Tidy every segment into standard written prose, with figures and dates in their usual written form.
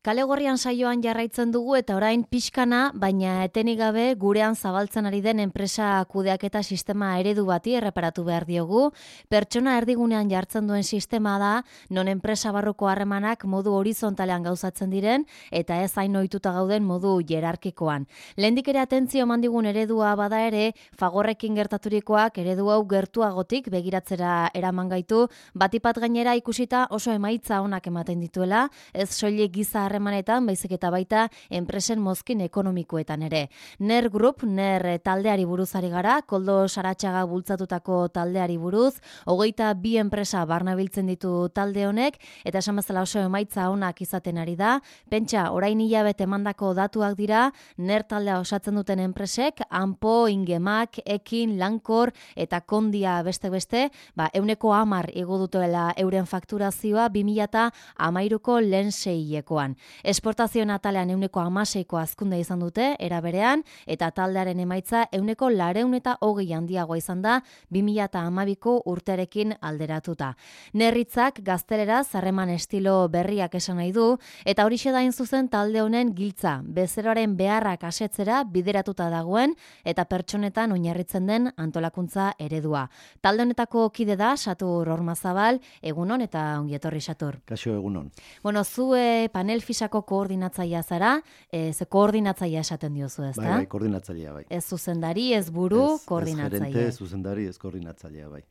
Kale Gorrian saioan jarraitzen dugu eta orain pixkana, baina etenik gabe gurean zabaltzen ari den enpresa kudeaketa sistema eredu bati erreparatu behar diogu. Pertsona erdigunean jartzen duen sistema da, non enpresa barruko harremanak modu horizontalean gauzatzen diren eta ez hain ohituta gauden modu hierarkikoan. Lehendik ere atentzio eman digun eredua bada ere, Fagorrekin gertaturikoak eredu hau gertuagotik begiratzera eraman gaitu, batipat gainera ikusita oso emaitza onak ematen dituela, ez soilik giza harremanetan, baizik eta baita enpresen mozkin ekonomikoetan ere. NER Group, NER taldeari buruz ari gara, Koldo Saratxaga bultzatutako taldeari buruz, 22 enpresa barnabiltzen ditu talde honek, eta esan bezala oso emaitza onak izaten ari da. Pentsa, orain hilabete emandako datuak dira, NER taldea osatzen duten enpresek, Ampo, Ingemak, Ekin, Lankor eta Kondia beste, 110 igo dutela euren fakturazioa 2013ko lehen seihilekoan. Esportazioen atalean 116ko hazkundea izan dute, era berean, eta taldearen emaitza 120 handiagoa izan da 2012ko urterekin alderatuta. Nerritzak gazteleraz harreman estilo berriak esan nahi du, eta horixe da hain zuzen talde honen giltza, bezeroaren beharrak asetzera bideratuta dagoen, eta pertsonetan oinarritzen den antolakuntza eredua. Talde honetako kide da, Satur Ormazabal, egunon eta ongietorri Satur. Kaixo egunon. Bueno, zu panel fisako koordinatzailea zara, ze koordinatzailea esaten diozu, ezta? Bai, koordinatzailea, bai. Ez zuzendari, ez buru, koordinatzailea. Ez gerente, zuzendari, ez koordinatzailea, bai.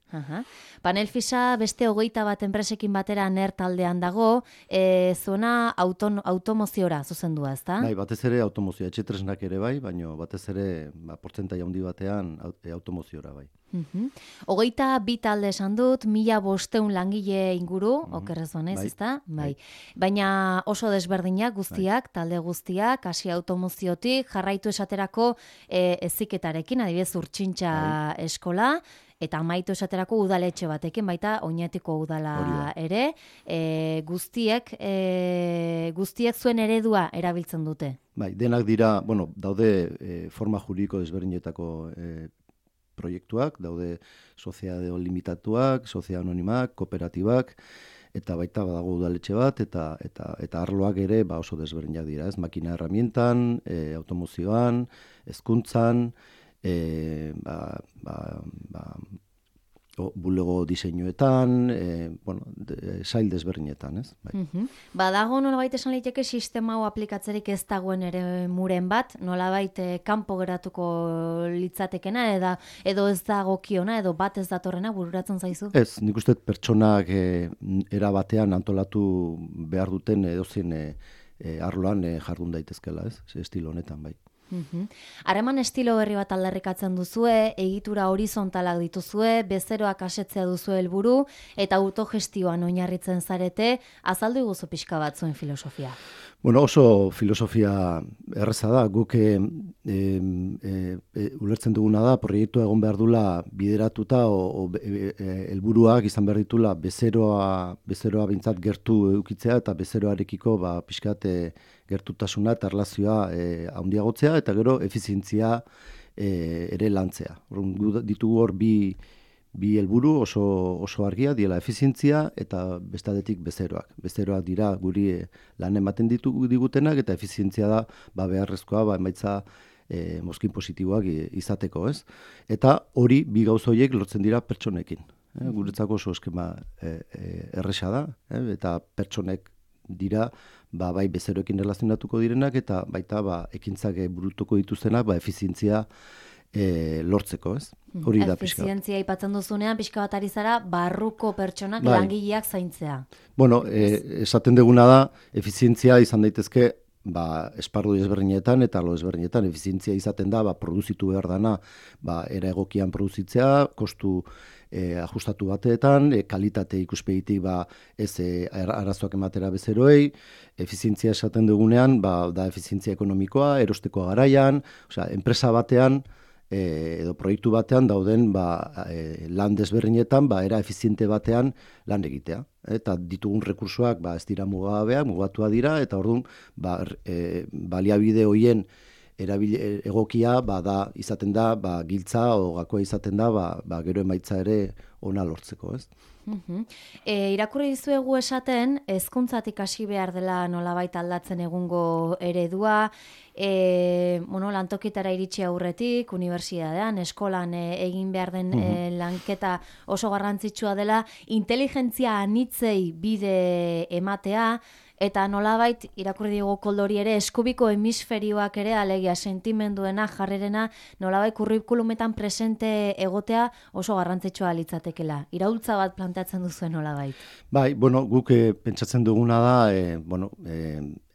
Panel fisa beste 21 enpresekin batera NER taldean dago, zuena automoziora zuzendua, ezta? Bai, batez ere automozioa, etxetresnak ere bai, baina batez ere portzentai handi batean automoziora, bai. 22 talde esan dut, 1500 langile inguru, okerrez banez, ezta? Bai. Baina oso desberdinak guztiak, talde guztiak, hasi automoziotik, jarraitu esaterako heziketarekin, adibidez Urtsintxa eskola, eta amaitu esaterako udaletxe batekin, baita Oñatiko udala ere, guztiek zuen eredua erabiltzen dute. Bai, denak dira, daude forma juridiko desberdinetako proiektuak, daude soziade limitatuak, soziade anonimak, kooperatibak, eta baita badago udaletxe bat, eta arloak ere oso desberdinak dira, ez? Makina herramientan, automozioan, hezkuntzan, bulego diseinuetan, sail desberdinetan, ez? Bai. Badago nolabait esan liteke sistema hau aplikatzerik ez dagoen ere muren bat, nolabait kanpo geratuko litzatekena, edo ez dagokiona, edo bat ez datorrena bururatzen zaizu? Ez, nik uste pertsonak era batean antolatu behar duten edozein arloan jardun daitezkela, ez? Estilo honetan, bai. Harreman estilo berri bat aldarrikatzen duzue, egitura horizontalak dituzue, bezeroak asetzea duzu helburu eta autogestioan oinarritzen zarete, azaldu iguzu pixka bat zuen filosofia. Oso filosofia erreza da, guk ulertzen duguna da, proiektua egon behar dula bideratuta helburuak izan behar ditula bezeroa bintzat gertu eukitzea eta bezeroarekiko pixkat gertutasuna eta erlazioa handiagotzea eta gero efizientzia ere lantzea. Ditugu hor bi helburu oso argia, diela efizientzia eta bestadetik bezeroak. Bezeroak dira guri lan ematen digutenak eta efizientzia da beharrezkoa emaitza mozkin positiboak izateko, ez? Eta hori bi gauza horiek lortzen dira pertsonekin. Guretzako oso eskema erresa da, eta pertsonek dira bai bezeroekin relazionatuko direnak eta baita ekintzak burutuko dituztenak efizientzia lortzeko, ez? Hori da pixka. Efizientzia aipatzen duzunean, pixka bat ari zara, barruko pertsonak langileak zaintzea. Esaten duguna da, efizientzia izan daitezke esparru desberdinetan eta arlo desberdinetan efizientzia izaten da, produzitu behar dana, era egokian produzitzea, kostu ajustatu bateetan, kalitate ikuspegitik ez arazoak ematera bezeroei, efizientzia esaten dugunean, da efizientzia ekonomikoa, erostekoa garaian, enpresa batean, edo proiektu batean dauden lan desberdinetan, era efiziente batean lan egitea. Eta ditugun rekursoak ez dira mugatua dira, eta orduan baliabide horien egokia da izaten da giltza o gakoa izaten da gero emaitza ere ona lortzeko, ez? Irakurri dizuegu esaten, hezkuntzatik hasi behar dela nolabait aldatzen egungo eredua, lantokitara iritsi aurretik, unibertsitatean, eskolan egin behar den lanketa oso garrantzitsua dela, inteligentzia anitzei bide ematea, eta nolabait, irakurri digu koldori ere, eskubiko hemisferioak ere, alegia sentimenduena, jarrerena, nolabait kurrikulumetan presente egotea oso garrantzitsua litzatekela. Iraultza bat planteatzen duzuen nolabait? Bai, guk pentsatzen duguna da,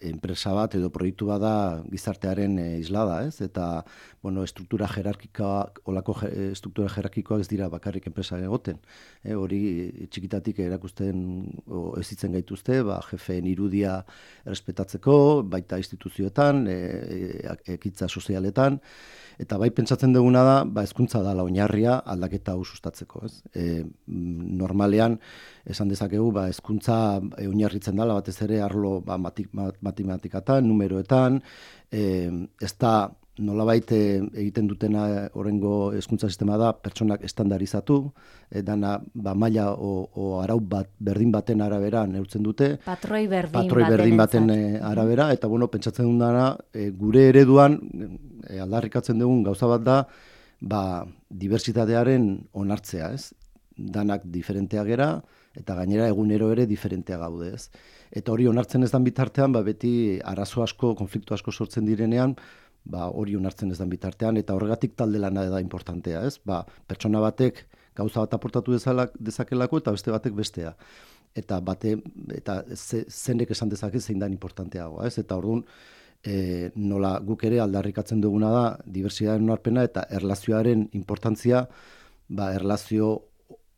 enpresa bat edo proiektu bat da gizartearen islada, ez? Eta, struktura jerarkikoak ez dira bakarrik enpresa egoten. Hori txikitatik erakusten ezitzen gaituzte, jefeen irudia errespetatzeko, baita instituzioetan, ekintza sozialetan, eta bai pentsatzen duguna da, hezkuntza dela oinarria aldaketa hau sustatzeko, ez? Normalean, esan dezakegu, hezkuntza oinarritzen dela, batez ere arlo matematikatan, numeroetan, ez da nolabait egiten dutena horrengo hezkuntza sistema da pertsonak estandarizatu, dana maila o arau berdin baten arabera neurtzen dute. Patroi berdin baten arabera, eta pentsatzen duguna gure ereduan aldarrikatzen dugun gauza bat da, diversitatearen onartzea, ez? Danak diferenteak gera, eta gainera egunero ere diferentea gaude, ez? Eta hori onartzen ez dan bitartean, beti arazo asko, konflikto asko sortzen direnean, hori onartzen ez dan bitartean, eta horregatik talde lana da importantea, ez? Pertsona batek gauza bat aportatu dezakelako, eta beste batek bestea. Eta zenek esan dezake zein dan importanteagoa, ez? Eta orduan, nola guk ere aldarrikatzen duguna da, diversitatearen onarpena eta erlazioaren importantzia, erlazio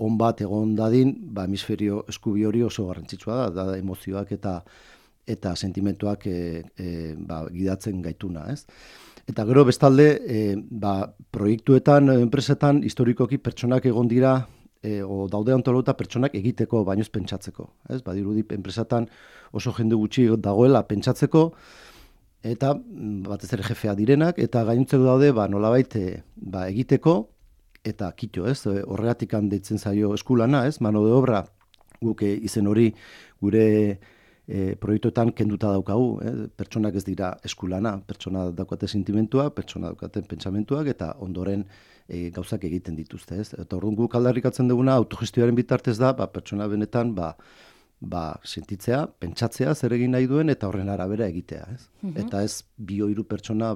on bat egon dadin, hemisferio eskubi hori oso garrantzitsua da emozioak eta sentimentuak gidatzen gaituna, ez? Eta gero bestalde, proiektuetan, enpresetan, historikoki pertsonak egon dira, o daude antolatuta pertsonak egiteko, baino ez pentsatzeko, ez? Badirudi enpresetan oso jende gutxi dagoela pentsatzeko, eta batez ere jefea direnak, eta gainontzeko daude, nolabait egiteko, eta kito, ez? Horregatik deitzen zaio eskulana, ez? Mano de obra, guk izen hori gure proiektuetan kenduta daukagu, pertsonak ez dira eskulana, pertsona daukate sentimentua, pertsona daukaten pentsamentuak, eta ondoren gauzak egiten dituzte, ez? Eta orduan guk aldarrikatzen duguna autogestioaren bitartez da, pertsona benetan, sentitzea, pentsatzea zer egin nahi duen, eta horren arabera egitea, ez? Eta ez 2-3 pertsona,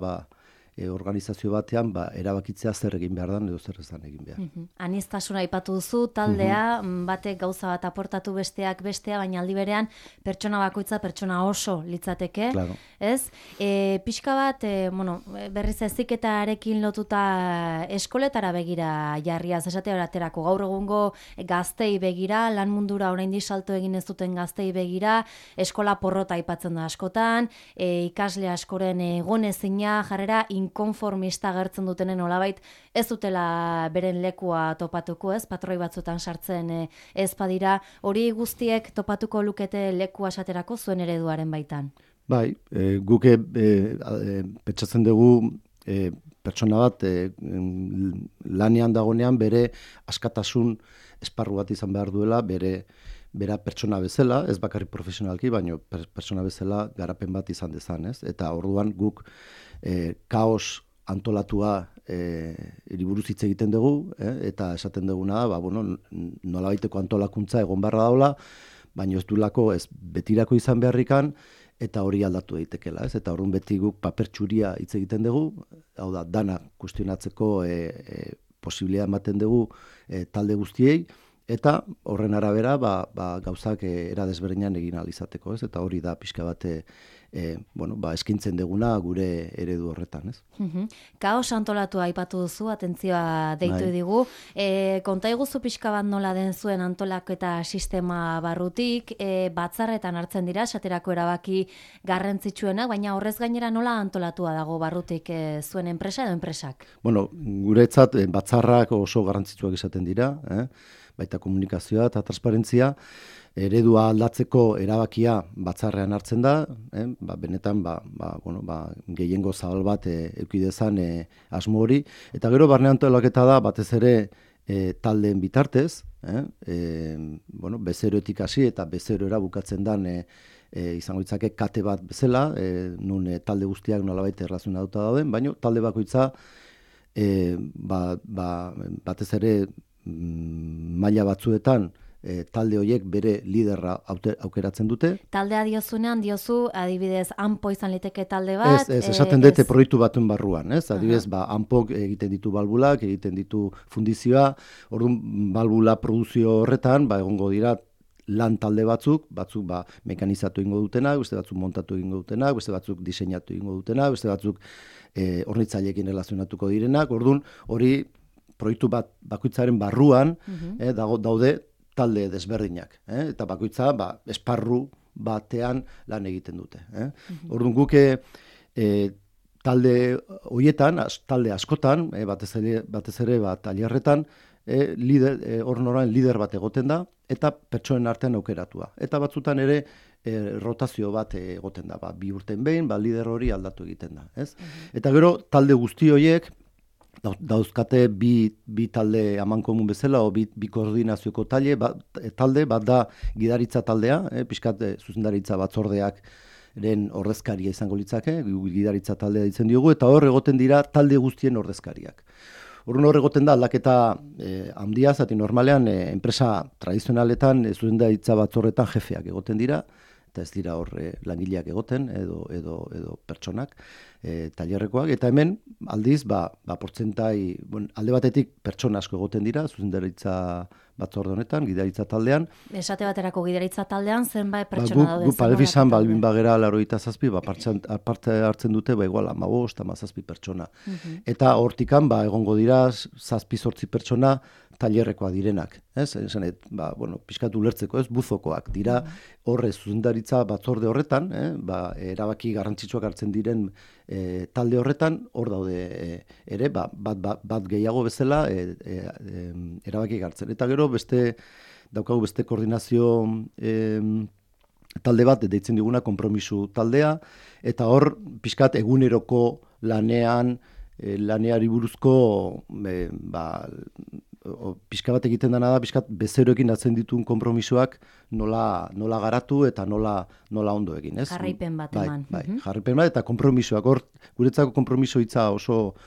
organizazio batean erabakitzea zer egin behar dan edo zer ez dan egin behar. Aniztasuna aipatu duzu, taldea, batek gauza bat aportatu besteak bestea, baina aldi berean pertsona bakoitza pertsona oso litzateke, claro. Ez? Pixka bat, berriz heziketarekin lotuta eskoletara begira jarriaz, esate horaterako gaur egungo gaztei begira, lan mundura oraindik salto egin ez duten gaztei begira, eskola porrota aipatzen da askotan, ikasle askoren egonezina jarrera inkonformista agertzen dutenen nolabait ez dutela beren lekua topatuko, ez? Patroi batzutan sartzen ez badira, hori guztiek topatuko lukete lekua esaterako zuen ereduaren baitan. Bai, guk pentsatzen dugu pertsona bat lanean dagonean bere askatasun esparru bat izan behar duela, bera pertsona bezala, ez bakarrik profesionalki, baina pertsona bezala garapen bat izan dezan, ez? Eta orduan guk kaos antolatua buruz hitz egiten dugu, eta esaten duguna da, nolabaiteko antolakuntza egon beharra daula, baina ez duelako ez betirako izan beharrikan, eta hori aldatu daitekela, ez? Eta orduan beti guk paper txuria hitz egiten dugu, hau da, dana kuestionatzeko posibilitatea ematen dugu talde guztiei, eta horren arabera gauzak era desberdinan egin ahal izateko, ez? Eta hori da pixka bat eskintzen duguna gure eredu horretan, ez? Kaos antolatua aipatu duzu, atentzioa deitu digu. Konta iguzu pixka bat nola den zuen antolaketa sistema barrutik, batzarretan hartzen dira, esaterako erabaki garrantzitsuenak, baina horrez gainera nola antolatua dago barrutik zuen enpresa edo enpresak? Guretzat batzarrak oso garrantzitsuak izaten dira, baita komunikazioa eta transparentzia, eredua aldatzeko erabakia batzarrean hartzen da, benetan gehiengo zabal bat eduki dezan asmo hori, eta gero barne antolaketa da batez ere taldeen bitartez, bezeroetik hasi eta bezerora bukatzen dan izango ditzake kate bat bezala, nun talde guztiak nolabait erlazionatuta dauden, baina talde bakoitza batez ere maila batzuetan talde horiek bere liderra aukeratzen dute. Taldea diozunean, diozu, adibidez, ANPO izan liteke talde bat? Ez, esaten dute proiektu batuen barruan, ez? Adibidez, ANPOk egiten ditu balbulak, egiten ditu fundizioa, orduan balbula produzio horretan, egongo dira lan talde batzuk mekanizatu egingo dutenak, beste batzuk montatu egingo dutenak, beste batzuk diseinatu egingo dutenak, beste batzuk hornitzaileekin relazionatuko direnak, orduan hori proiektu bakoitzaren barruan daude talde desberdinak, eta bakoitza esparru batean lan egiten dute. Orduan guk talde horietan, talde askotan, batez ere tailerretan, hor noran lider bat egoten da, eta pertsonen artean aukeratua. Eta batzutan ere rotazio bat egoten da, 2 urten behin, lider hori aldatu egiten da. Eta gero talde guzti horiek, dauzkate bi talde amankomun bezala, o bi koordinazioko talde, bat da gidaritza taldea, pixkat zuzendaritza batzordeak ordezkaria izango litzake, gidaritza taldea ditzen diogu, eta hor egoten dira talde guztien ordezkariak. Horren hor egoten da aldaketa handia, zati normalean enpresa tradizionaletan zuzendaritza batzorretan jefeak egoten dira, eta ez dira hor langileak egoten edo pertsonak, tailerrekoak, eta hemen aldiz, portzentai, alde batetik pertsona asko egoten dira, zuzendaritza batzorde honetan, gidaritza taldean. Esate baterako gidaritza taldean, zenbait pertsona daude? Gu Palefizan, balbin bagera 87, parte hartzen dute, igual 15, 17 pertsona. Eta hortikan, egongo dira 7-8 pertsona tailerrekoak direnak. Pixkat ulertzeko, buzokoak dira, horre zuzendaritza batzorde horretan, erabaki garrantzitsuak hartzen diren talde horretan, hor daude ere, bat gehiago bezala erabaki hartzen. Eta gero daukagu beste koordinazio talde bat, deitzen diguna konpromisu taldea, eta hor pixkat eguneroko laneari buruzko pixka bat egiten dena da, pixkat bezeroekin atzen dituen konpromisoak nola garatu eta nola ondo egin. Jarraipen bat eman. Jarraipen bat eta konpromisoak. Hor, guretzako konpromiso hitza oso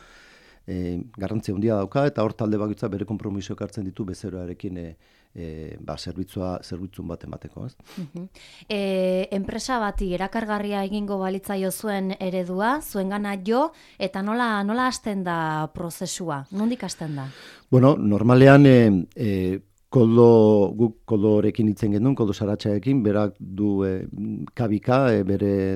garrantzia handia dauka, eta hor talde bakoitza bere konpromisoak hartzen ditu bezeroarekin zerbitzun bat emateko. Enpresa bati erakargarria egingo balitzaio zuen eredua, zuengana jo, eta nola hasten da prozesua? Nondik hasten da? Bueno, normalean guk koldorekin hitzen genuen, koldo saratxaekin, berak du kabika,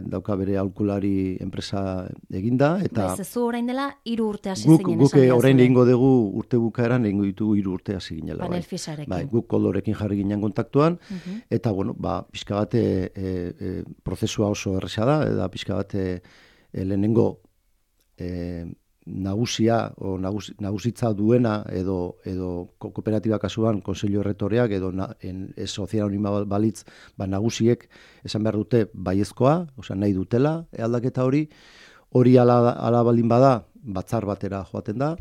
dauka bere aholkulari enpresa eginda. Zu orain dela 3 urte hasi zinen. Guk orain egingo dugu urte bukaeran, egingo ditugu 3 urte hasi ginela. Panel Fisharekin. Guk koldorekin jarri ginen kontaktuan, eta pixka bat prozesua oso erresa da, eta pixka bat lehenengo nagusitza duena edo kooperatiba kasuan konseilio erretoreak edo sozial anima balitz nagusiek esan behar dute baiezkoa, nahi dutela aldaketa hori ala baldin bada batzar batera joaten da,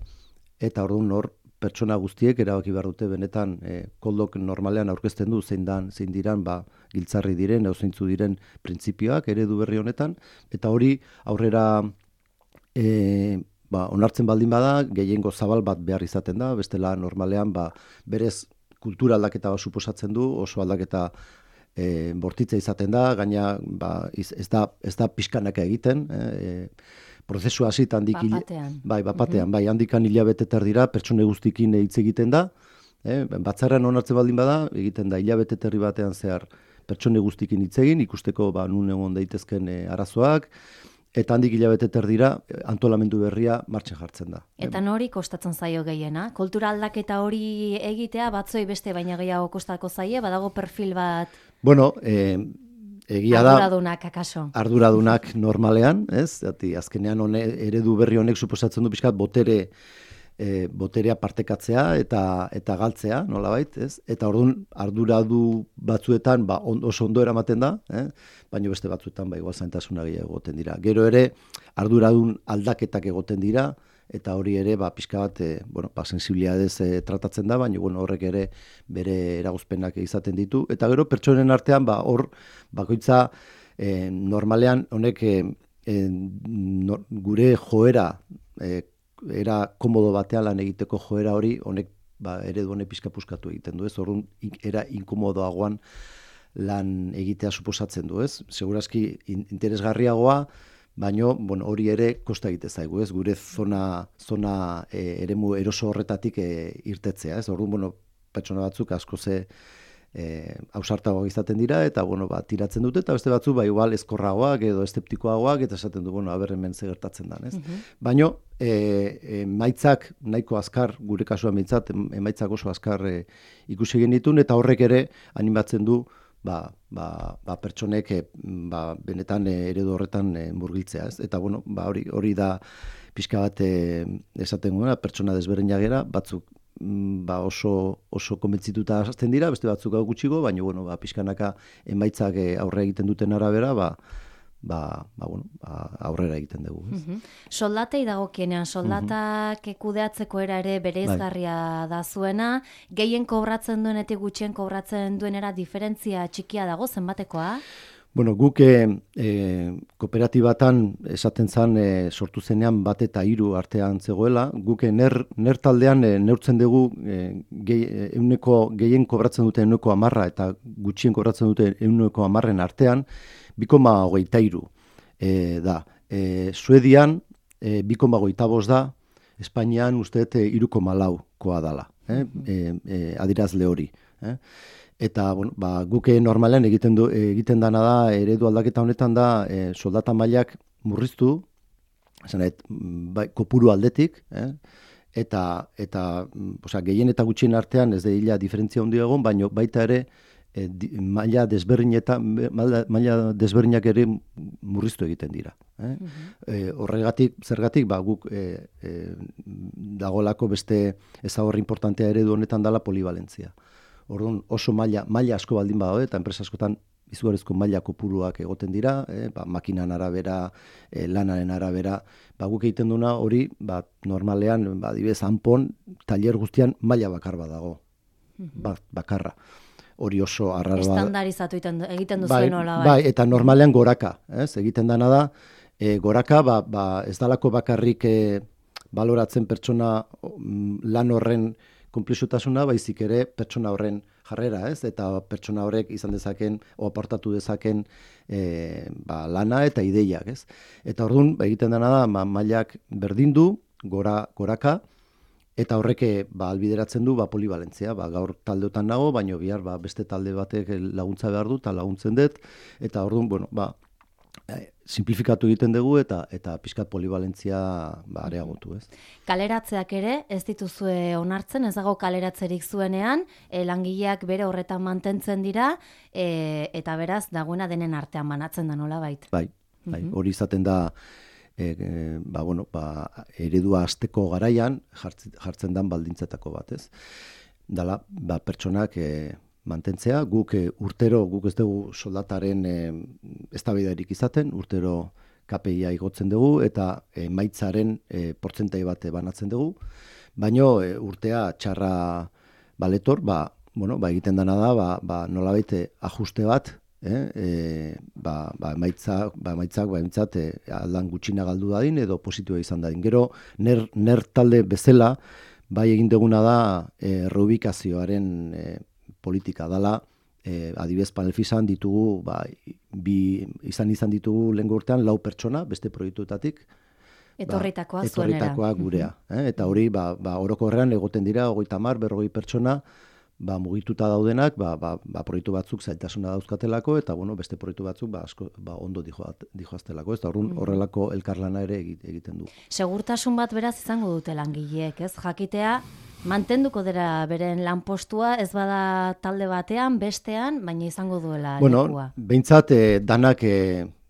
eta orduan hor pertsona guztiek erabaki behar dute benetan koldok normalean aurkezten du zein diran giltzarri diren, zeintzu diren printzipioak eredu berri honetan, eta hori aurrera onartzen baldin bada, gehiengo zabal bat behar izaten da, bestela normalean berez kultura aldaketa bat suposatzen du, oso aldaketa bortitza izaten da, gaina ez da pixkanaka egiten, prozesua hasitan handik bapatean, handikan hilabete terdira pertsone guztikin hitz egiten da, batzarrean onartzen baldin bada, egiten da hilabete terdi batean zehar pertsone guztikin hitz egin, ikusteko nun egon daitezken arazoak, eta handik hilabete terdira antolamendu berria martxan jartzen da. Eta nori kostatzen zaio gehiena? Kultura aldaketa hori egitea batzoi beste baina gehiago kostako zaie, badago perfil bat? Bueno, egia da. Arduradunak, akaso? Arduradunak normalean, ez? Azkenean eredu berri honek suposatzen du pixkat botere boterea partekatzea eta galtzea, nolabait, ez? Eta orduan arduradu batzuetan oso ondo eramaten da, baina beste batzuetan igual zaintasuna gehiago egoten dira. Gero ere arduradun aldaketak egoten dira, eta hori ere pixka bat sensibilidadez tratatzen da, baina horrek ere bere eragozpenak izaten ditu. Eta gero pertsonen artean hor bakoitza normalean honek gure joera era komodo batean lan egiteko joera hori honek eredu honek pixka puskatu egiten du, ez? Orduan era inkomodoagoan lan egitea suposatzen du, ez? Segurazki interesgarriagoa, baino hori ere kosta egite zaigu, ez? Gure zona eremu eroso horretatik irtetzea, ez? Orduan pertsona batzuk asko ausartagoak izaten dira eta tiratzen dute, eta beste batzu igual ezkorragoak edo eszeptikoagoak eta esaten du hemen ze gertatzen da, ez? Baino emaitzak nahiko azkar, gure kasuan behintzat emaitzak oso azkar ikusi egin ditun, eta horrek ere animatzen du pertsonek benetan eredu horretan murgiltzea, ez? Eta hori da pixka bat esaten guna, pertsona desberdinak gera, batzuk oso konbentzituta hasten dira, beste batzuk gutxigo, baina pixkanaka emaitzak aurre egiten duten arabera, aurrera egiten dugu. Soldatei dagokienean, soldatak kudeatzeko era ere bereizgarria da zuena, gehien kobratzen duenetik gutxien kobratzen duenera diferentzia txikia dago, zenbatekoa? Guk kooperatibatan esaten zen sortu zenean 1 eta 3 artean zegoela, guk ner taldean neurtzen dugu gehien kobratzen duten 10% eta gutxien kobratzen duten 10% artean 2,23 da. Suedian 2,25 da, Espainian uste 3,4koa dala, adirazle hori. Eta guk normalean egiten dana da, eredu aldaketa honetan da, soldata mailak murriztu, kopuru aldetik, eta gehien eta gutxien artean ez da diferentzia handi egon, baina baita ere maila desberdinak ere murriztu egiten dira. Zergatik guk dagolako beste ezaugarri importantea eredu honetan dela polivalentzia. Orduan oso maila asko baldin badaude, eta enpresa askotan izugarrizko maila kopuruak egoten dira, makinan arabera, lanaren arabera, guk egiten duna hori, normalean, adibidez, hanpon, tailer guztian maila bakar bat dago, bakarra. Hori oso arraro da. Estandarizatu egiten duzuen hola, bai. Eta normalean goraka, egiten dana da, goraka, ez dalako bakarrik baloratzen pertsona lan horren konplexutasuna, baizik ere pertsona horren jarrera, ez? Eta pertsona horrek izan dezaken, aportatu dezaken lana eta ideiak, ez? Eta orduan, egiten dena da, mailak berdindu, goraka, eta horrek albideratzen du polivalentzia. Gaur taldeotan nago, baina bihar beste talde batek laguntza behar du, eta laguntzen dut, eta orduan, simplifikatu egiten dugu eta pixkat polivalentzia areagotu, ez? Kaleratzeak ere ez dituzue onartzen, ez dago kaleratzerik zuenean, langileak bere horretan mantentzen dira, eta beraz dagoena denen artean banatzen da nolabait. Bai, hori izaten da eredua hasteko garaian jartzen dan baldintzetako bat, ez? Dala, pertsonak mantentzea, guk ez dugu soldataren eztabaidarik izaten, urtero KPIa igotzen dugu, eta emaitzaren portzentai bat banatzen dugu, baino urtea txarra baletor, egiten dena da, nolabait ajuste bat, emaitzak aldan gutxina galdu dadin, edo positiboa izan dadin. Gero, ner talde bezala, egin duguna da reubikazioaren politika dela, adibidez Panelfisan ditugu, izan ditugu lehengo urtean 4 pertsona, beste proiektuetatik. Etorritakoa gurea. Eta hori, orokorrean egoten dira, 30, 40 pertsona, mugituta daudenak, proiektu batzuk zailtasuna dauzkatelako, eta beste proiektu batzuk ondo dijoaztelako, eta horrelako elkarlana ere egiten du. Segurtasun bat beraz izango dute langileek, ez? Jakitea, mantenduko dira beren lanpostua, ez bada talde batean, bestean, baina izango duela lekua. Behintzat, danak,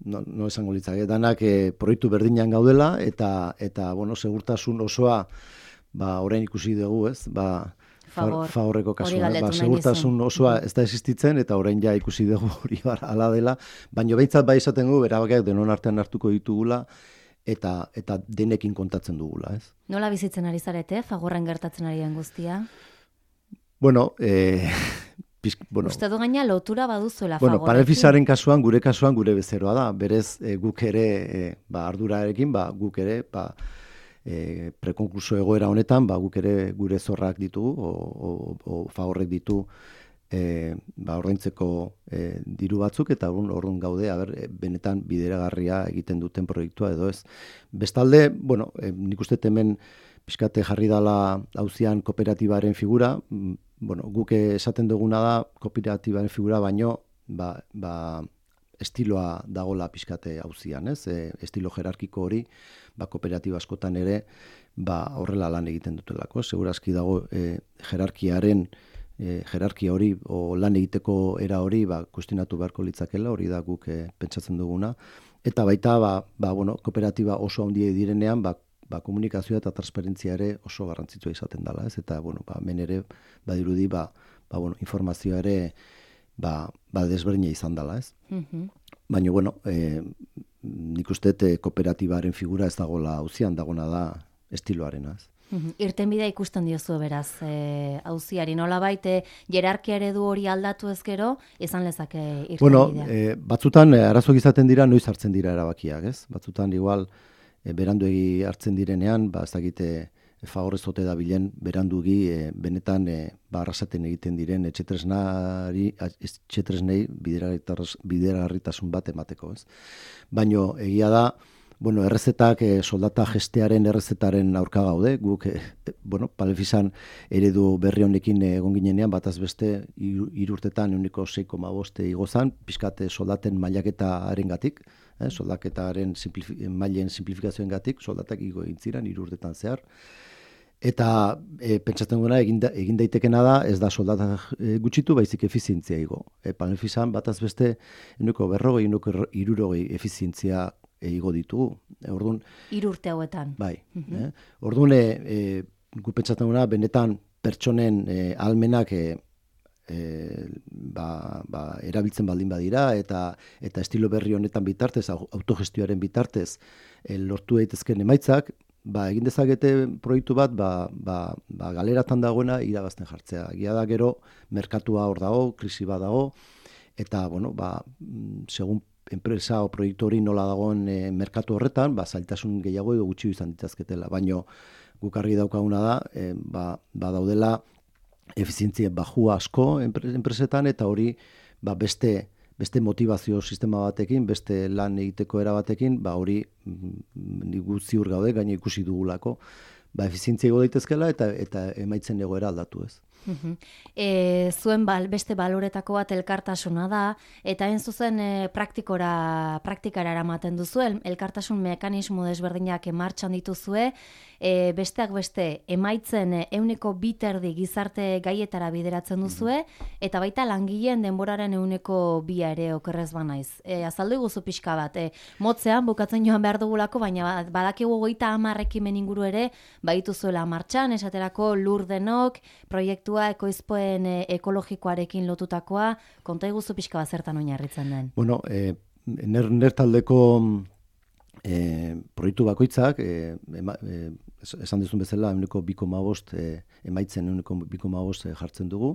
no esango litzake, danak proiektu berdinan gaudela, eta segurtasun osoa orain ikusi dugu, ez? Fagorreko kasua, segurtasun osoa ez da existitzen, eta orain ja ikusi dugu hori ala dela, baina behintzat bai esaten gu, erabakiak denon artean hartuko ditugula, eta denekin kontatzen dugula, ez? Nola bizitzen ari zarete, Fagorren gertatzen ari den guztia? Bueno, uste du gaina lotura baduzuela Fagorrekin. Panelfisaren kasuan, gure bezeroa da, berez guk ere, ardurarekin, guk ere, prekonkluso egoera honetan, guk ere gure zorrak ditugu, o Fagorrek ditu ordaintzeko diru batzuk, eta orduan gaude, benetan bideragarria egiten duten proiektua edo ez. Bestalde, nik uste hemen pixkate jarri dala auzian kooperatibaren figura, guk esaten duguna da kooperatibaren figura baino, estiloa dagola pixkate auzian, ez? Estilo jerarkiko hori, kooperatiba askotan ere, horrela lan egiten dutelako. Segurazki dago jerarkia hori, o lan egiteko era hori, kuestionatu beharko litzakela, hori da guk pentsatzen duguna. Eta baita, kooperatiba oso handia direnean, komunikazioa eta transparentzia ere oso garrantzitsua izaten dela, ez? Eta, hemen ere, badirudi, informazioa ere, desberdina izan dela, ez? Baina, nik uste kooperatibaren figura ez dagoela auzian, dagona da estiloarena, ez? Irtenbidea ikusten diozu beraz, auziari nolabait jerarkia eredu hori aldatu ez gero, izan lezake irtenbidea? Batzutan arazoak izaten dira, noiz hartzen dira erabakiak, ez? Batzutan igual beranduegi hartzen direnean, ez dakite Fagorrez ote da bilen berandugi benetan arrasaten egiten diren etxetresnei bideragarritasun bat emateko, ez? Baina egia da, errezetak, soldata gestearen errezetaren aurka gaude, guk, Panelfisan eredu berri honekin egon ginenean, bataz beste, 3 urtetan 6,5 igozan, pixkate soldaten mailaketaren gatik, soldaketaren mailen simplifikazioen gatik, soldatak igo egin ziren 3 urtetan zehar. Eta pentsatzen duena egin daitekena da, ez da soldata gutxitu, baizik efizientzia igo. Panelfisan bataz beste 40, 60 efizientzia igo ditugu. Orduan 3 urte hauetan. Bai. Orduan gu pentsatzen duena benetan pertsonen ahalmenak erabiltzen baldin badira eta estilo berri honetan bitartez, autogestioaren bitartez lortu daitezken emaitzak, egin dezakete proiektu bat, galeratan dagoena irabazten jartzea. Egia da gero, merkatua hor dago, krisi bat dago, eta, segun enpresa o proiektu hori nola dagoen merkatu horretan, zailtasun gehiago edo gutxi izan ditazketela. Baina guk argi daukaguna da, daudela efizientzia bajua asko enpresetan, eta hori beste motivazio sistema batekin, beste lan egiteko era batekin, hori nik ziur gaude, gaina ikusi dugulako, efizientzia ego daitezkela eta emaitzen egoera aldatu ez. Zuen beste baloretako bat elkartasuna da, eta hain zuzen praktikara eramaten duzu, elkartasun mekanismo desberdinak martxan dituzue, besteak beste emaitzen 2% gizarte gaietara bideratzen duzue, eta baita langileen denboraren 2% ere okerrez banaiz. Azaldu iguzu pixka bat, motzean bukatzen joan behar dugulako, baina badakigu 30 ekimen inguru ere, baituzuela martxan, esaterako lur denok, proiektua ekoizpoen ekologikoarekin lotutakoa, konta iguzu pixka bat zertan oinarritzen den? Ner taldeko proiektu bakoitzak, esan duzun bezala, 2,5 emaitzen 2,5 jartzen dugu,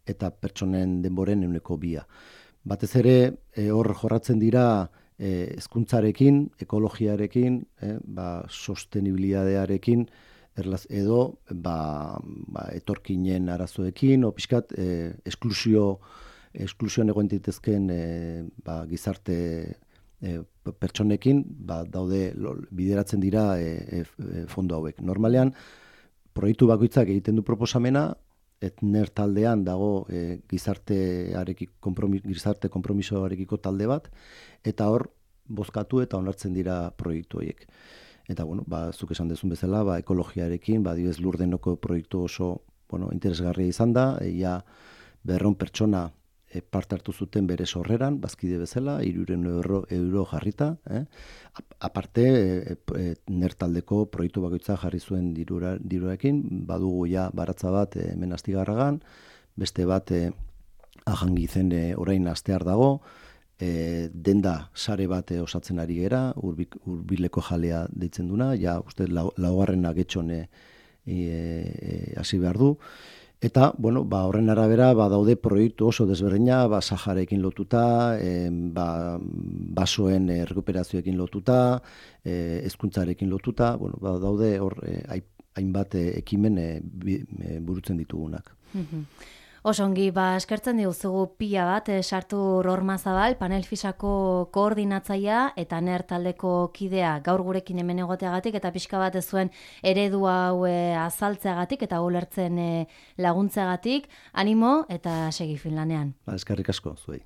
eta pertsonen denboren 2%. Batez ere, hor jorratzen dira hezkuntzarekin, ekologiarekin, sostenibilidadearekin, edo etorkinen arazoekin, o pixkat esklusioan egoen ditezken gizarte pertsonekin, daude bideratzen dira fondo hauek. Normalean, proiektu bakoitzak egiten du proposamena, ner taldean dago gizarte konpromisoarekiko talde bat, eta hor bozkatu eta onartzen dira proiektu horiek. Eta, zuk esan dezun bezala, ekologiarekin, dibez Lurdenoko proiektu oso interesgarria izan da, 200 pertsona parte hartu zuten bere sorreran, bazkide bezala, 300 euro jarrita. aparte, nertaldeko proiektu bakoitza jarri zuen diruarekin, badugu ja baratza bat hemen Astigarragan, beste bat Ajangizen orain astear dago, denda sare bat osatzen ari gera, Hurbileko jalea deitzen duna, ja uste laugarrena getxon hasi behar du. Eta, bueno, horren arabera, daude proiektu oso desberdina, Saharekin lotuta, basoen rekuperazioekin lotuta, hezkuntzarekin lotuta, bueno, daude hor hainbat ekimen burutzen ditugunak. Osongi, eskertzen diguzugu pila bat, sartu Ormazabal, Panel Fisako koordinatzailea eta NER taldeko kidea gaur gurekin hemen egoteagatik eta pixka bat ez zuen eredu hau azaltzeagatik eta ulertzen laguntzeagatik. Animo eta segi fin lanean. Eskerrik asko zuei.